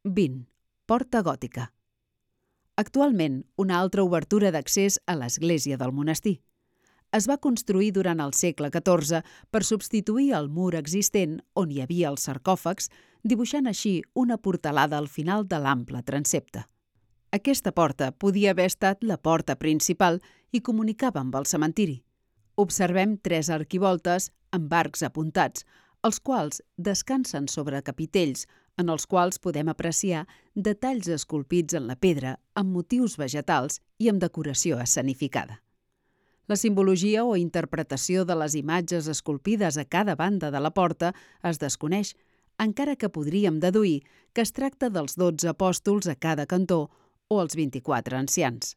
20. Porta gòtica. Actualment, una altra obertura d'accés a l'església del monestir. Es va construir durant el segle XIV per substituir el mur existent on hi havia els sarcòfags, dibuixant així una portalada al final de l'ample transsepte. Aquesta porta podia haver estat la porta principal i comunicava amb el cementiri. Observem 3 arquivoltes amb arcs apuntats, els quals descansen sobre capitells en els quals podem apreciar detalls esculpits en la pedra amb motius vegetals i amb decoració escenificada. La simbologia o interpretació de les imatges esculpides a cada banda de la porta es desconeix, encara que podríem deduir que es tracta dels 12 apòstols a cada cantó o els 24 ancians.